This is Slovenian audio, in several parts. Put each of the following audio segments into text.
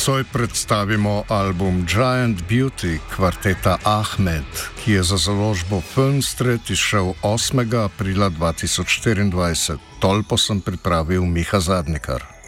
Nocoj predstavimo album Giant Beauty kvarteta Ahmed, ki je za založbo Filmstret izšel 8. aprila 2024. Tolpo sem pripravil Miha Zadnikar.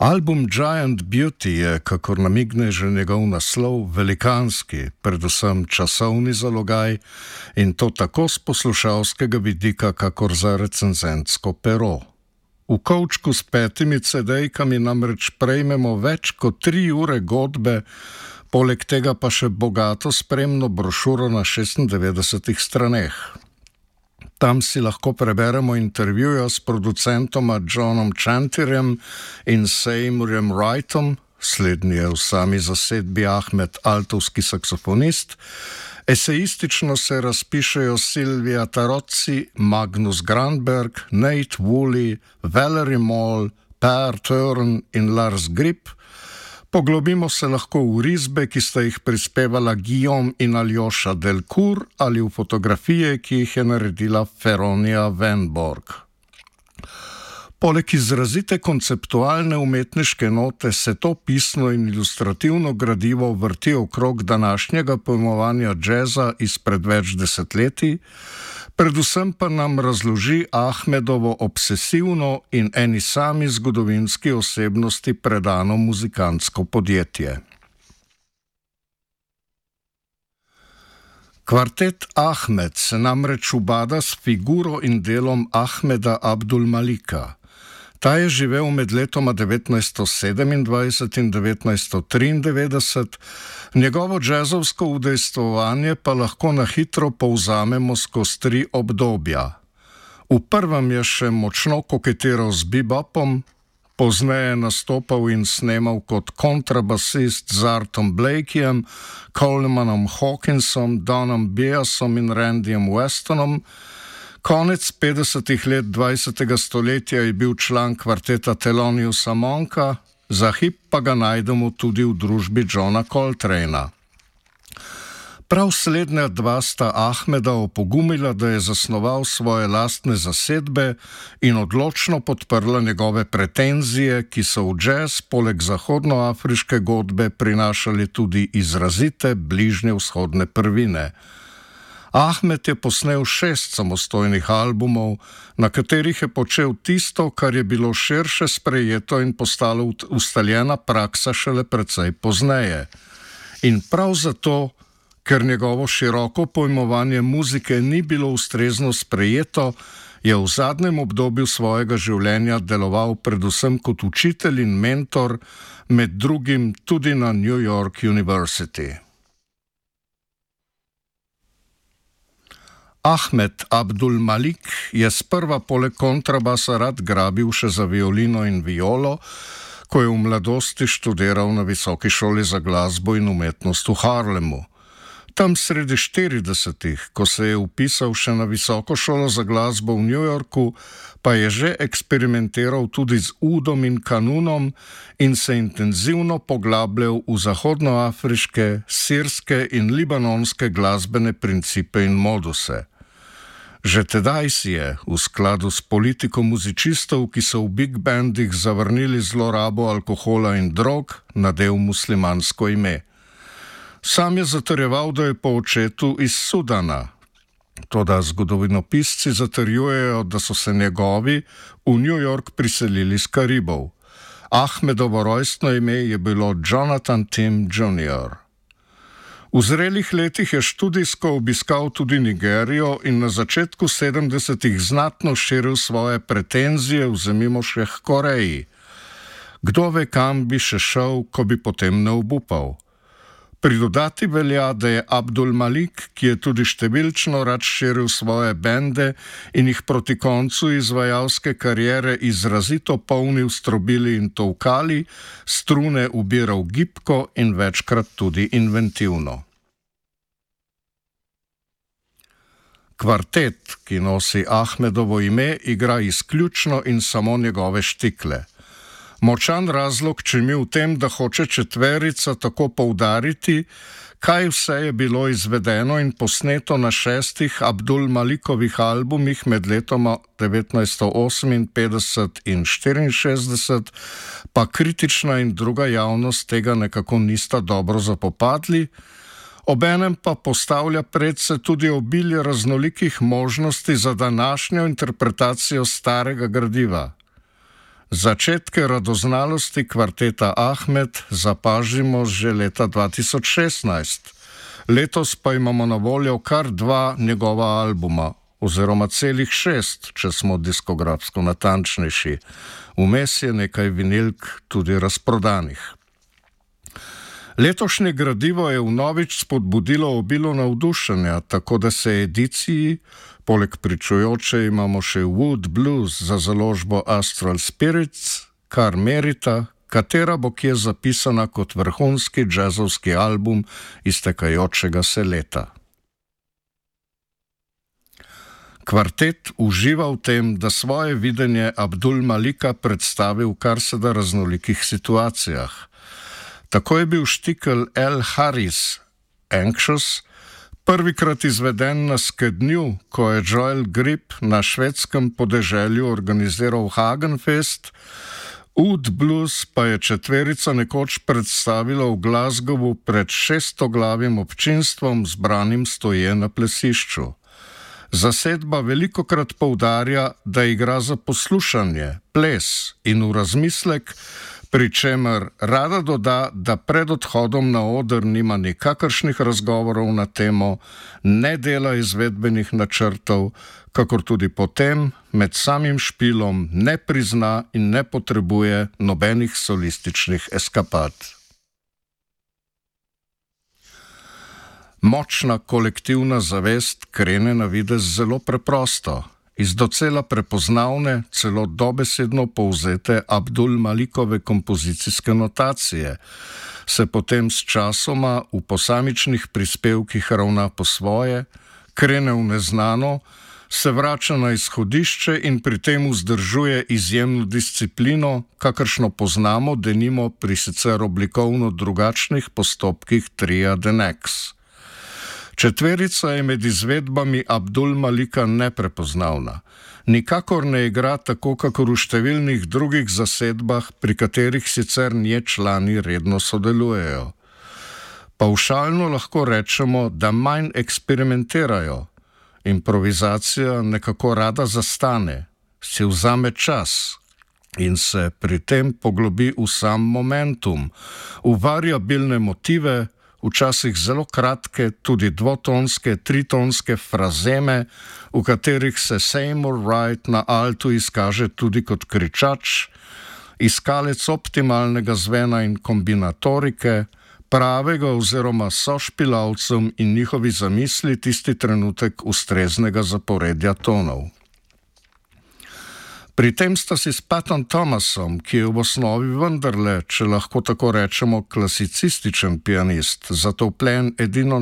Album Giant Beauty je, kakor namigne že njegov naslov, velikanski, predvsem časovni zalogaj, in to tako z poslušalskega vidika, kakor za recenzentsko pero. V kovčku s 5 CD-kami namreč prejmemo več kot 3 ure godbe, poleg tega pa še bogato spremno brošuro na 96 straneh. Tam si lahko preberemo intervjuja s producentoma Johnom Chantirjem in Seymourem Wrightom, slednji je v sami zasedbi Ahmed altovski saksofonist. Esejistično se razpišejo Silvia Tarozzi, Magnus Granberg, Nate Woolley, Valerie Moll, Per Turn in Lars Grip. Poglobimo se lahko v risbe, ki sta jih prispevala Guillaume in Aljoša Delcourt, ali v fotografije, ki jih je naredila Feronia Venborg. Poleg izrazite konceptualne umetniške note se to pisno in ilustrativno gradivo vrti okrog današnjega pojmovanja džeza izpred več desetletij, predvsem pa nam razloži Ahmedovo obsesivno in eni sami zgodovinski osebnosti predano muzikantsko podjetje. Kvartet Ahmed se namreč ubada s figuro in delom Ahmeda Abdul Malika. Ta je živel med letoma 1927 in 1993, njegovo džezovsko udejstvovanje pa lahko na hitro povzamemo skozi 3 obdobja. V prvem je še močno koketiral z bebopom, pozneje nastopal in snemal kot kontrabasist z Artom Blakeyjem, Colemanom Hawkinsom, Donom Biasom in Randyjem Westonom. Konec 50. let 20. stoletja je bil član kvarteta Theloniousa Monka, za hip pa ga najdemo tudi v družbi Johna Coltrane'a. Prav slednja dva sta Ahmeda opogumila, da je zasnoval svoje lastne zasedbe in odločno podprla njegove pretenzije, ki so v džez poleg zahodnoafriške godbe prinašali tudi izrazite bližnje vzhodne prvine. Ahmed je posnel 6 samostojnih albumov, na katerih je počel tisto, kar je bilo širše sprejeto in postalo ustaljena praksa šele precej pozneje. In prav zato, ker njegovo široko pojmovanje muzike ni bilo ustrezno sprejeto, je v zadnjem obdobju svojega življenja deloval predvsem kot učitelj in mentor, med drugim tudi na New York University. Ahmed Abdul Malik je sprva poleg kontrabasa rad grabil še za violino in violo, ko je v mladosti študiral na Visoki šoli za glasbo in umetnost v Harlemu. Tam sredi 40-ih, ko se je vpisal še na Visoko šolo za glasbo v New Yorku, pa je že eksperimentiral tudi z udom in kanunom in se intenzivno poglabljal v zahodnoafriške, sirske in libanonske glasbene principe in moduse. Že tedaj si je, v skladu s politiko muzicistov, ki so v big bandih zavrnili zlorabo alkohola in drog, nadel muslimansko ime. Sam je zatrjeval, da je po očetu iz Sudana. Toda zgodovinopisci zatrjujejo, da so se njegovi v New York priselili z Karibov. Ahmedovo rojstno ime je bilo Jonathan Tim Jr. V zrelih letih je študijsko obiskal tudi Nigerijo in na začetku 70-ih znatno širil svoje pretenzije, vzemimo še k Koreji. Kdo ve, kam bi še šel, ko bi potem ne obupal. Pridodati velja, da je Abdul Malik, ki je tudi številčno rad širil svoje bende in jih proti koncu izvajalske kariere izrazito polnil strobili in tolkali, strune ubiral gibko in večkrat tudi inventivno. Kvartet, ki nosi Ahmedovo ime, igra izključno in samo njegove štikle. Močan razlog čemi v tem, da hoče četverica tako poudariti, kaj vse je bilo izvedeno in posneto na 6 Abdul Malikovih albumih med letoma 1958 in 1964, pa kritična in druga javnost tega nekako nista dobro zapopadli, obenem pa postavlja predse tudi obilje raznolikih možnosti za današnjo interpretacijo starega gradiva. Začetke radoznalosti kvarteta Ahmed zapažimo že leta 2016. Letos pa imamo na voljo kar 2 njegova albuma, oziroma celih 6, če smo diskografsko natančnejši. Vmes je nekaj vinilk tudi razprodanih. Letošnje gradivo je vnovič spodbudilo obilo navdušenja, tako da se ediciji, poleg pričujoče imamo še Wood Blues za založbo Astral Spirits, kar merita, katera bo kje zapisana kot vrhunski džezovski album iztekajočega se leta. Kvartet uživa v tem, da svoje videnje Abdul Malika predstavi v kar se da raznolikih situacijah. Tako je bil štikel El Haris, Anxious, prvikrat izveden na skednju, ko je Joel Grip na švedskem podeželju organiziral Hagenfest, Oud Blues pa je četverica nekoč predstavila v Glasgowu pred 600-glavim občinstvom zbranim stoje na plesišču. Zasedba velikokrat poudarja, da igra za poslušanje, ples in v razmislek, pri čemer rada doda, da pred odhodom na oder nima nikakršnih razgovorov na temo, ne dela izvedbenih načrtov, kakor tudi potem med samim špilom ne prizna in ne potrebuje nobenih solističnih eskapad. Močna kolektivna zavest krene na videz zelo preprosto. Iz docela prepoznavne, celo dobesedno povzete Abdul Malikove kompozicijske notacije, se potem s časoma v posamičnih prispevkih ravna po svoje, krene v neznano, se vrača na izhodišče in pri tem vzdržuje izjemno disciplino, kakršno poznamo denimo pri sicer oblikovno drugačnih postopkih tria The Nex. Četverica je med izvedbami Abdul Malika neprepoznavna. Nikakor ne igra tako, kakor v številnih drugih zasedbah, pri katerih sicer nje člani redno sodelujejo. Pavšalno lahko rečemo, da manj eksperimentirajo. Improvizacija nekako rada zastane, si vzame čas in se pri tem poglobi v sam momentum, v variabilne motive, včasih zelo kratke, tudi dvotonske, tritonske frazeme, v katerih se Seymour Wright na altu izkaže tudi kot kričač, iskalec optimalnega zvena in kombinatorike, pravega oziroma sošpilavcem in njihovi zamisli tisti trenutek ustreznega zaporedja tonov. Pri tem sta si s Patom Thomasom, ki je v osnovi vendarle, če lahko tako rečemo, klasicističen pianist, zatopljen edino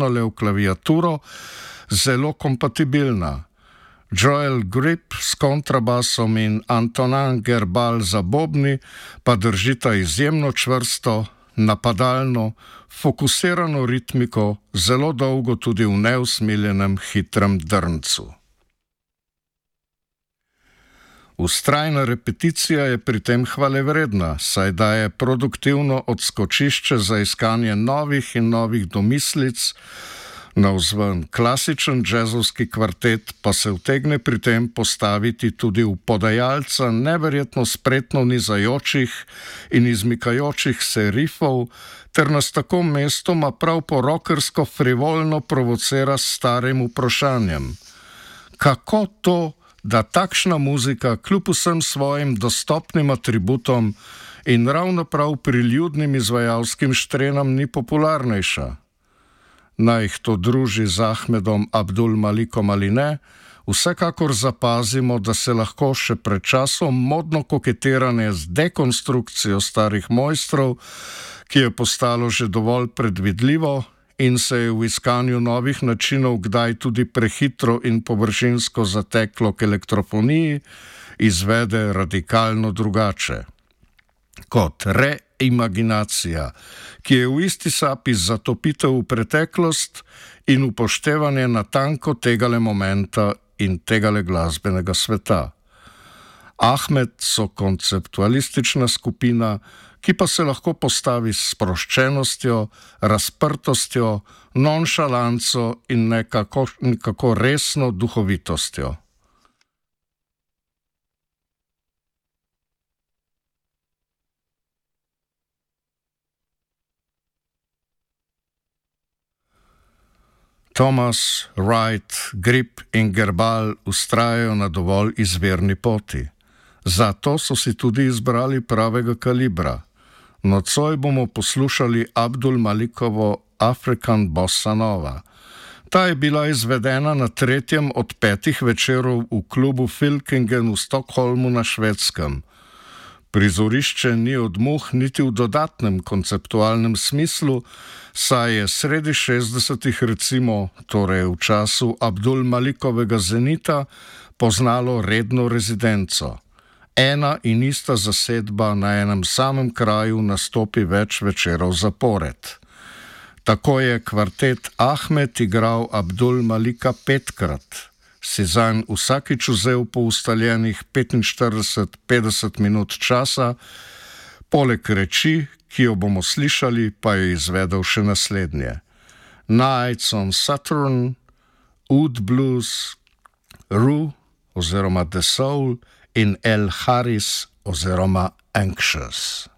le v klaviaturo, zelo kompatibilna. Joel Grip s kontrabasom in Antonin Gerbal za bobni pa držita izjemno čvrsto, napadalno, fokusirano ritmiko, zelo dolgo tudi v neusmiljenem hitrem drncu. Vztrajna repeticija je pri tem hvalevredna, saj daje produktivno odskočišče za iskanje novih in novih domislic, navzven klasičen džezovski kvartet pa se utegne pri tem postaviti tudi v podajalca neverjetno spretno nizajočih in izmikajočih se rifov, ter nas tako mestoma prav po rockersko frivolno provocira s starim vprašanjem. Kako to, da takšna muzika kljub vsem svojim dostopnim atributom in ravno prav priljudnim izvajalskim štrenam ni popularnejša? Naj jih to druži z Ahmedom Abdul Malikom ali ne, vsekakor zapazimo, da se lahko še pred časom modno koketiranje z dekonstrukcijo starih mojstrov, ki je postalo že dovolj predvidljivo in se je v iskanju novih načinov kdaj tudi prehitro in površinsko zateklo k elektrofoniji, izvede radikalno drugače. kot reimaginacija, ki je v isti sapi zatopitev v preteklost in upoštevanje natanko tegale momenta in tegale glasbenega sveta. Ahmed so konceptualistična skupina, ki pa se lahko postavi s sproščenostjo, razprtostjo, nonšalanco in nekako resno duhovitostjo. Thomas, Wright, Grip in Gerbal vztrajajo na dovolj izvirni poti. Zato so si tudi izbrali pravega kalibra. Nocoj bomo poslušali Abdul Malikovo African Bossa Nova. Ta je bila izvedena na 3. od 5 večerov v klubu Filkingen v Stockholmu na Švedskem. Prizorišče ni od muh niti v dodatnem konceptualnem smislu, saj je sredi 60-ih recimo, torej v času Abdul Malikovega zenita, poznalo redno rezidenco. Ena in ista zasedba na enem samem kraju nastopi več večerov zapored. Tako je kvartet Ahmed igral Abdul Malika 5-krat. Si zanj vsakič vzel po ustaljenih 45-50 minut časa, poleg reči, ki jo bomo slišali, pa je izvedel še naslednje: Nights on Saturn, Oud Blues, Rue oziroma The Soul in El Haris oziroma Anxious.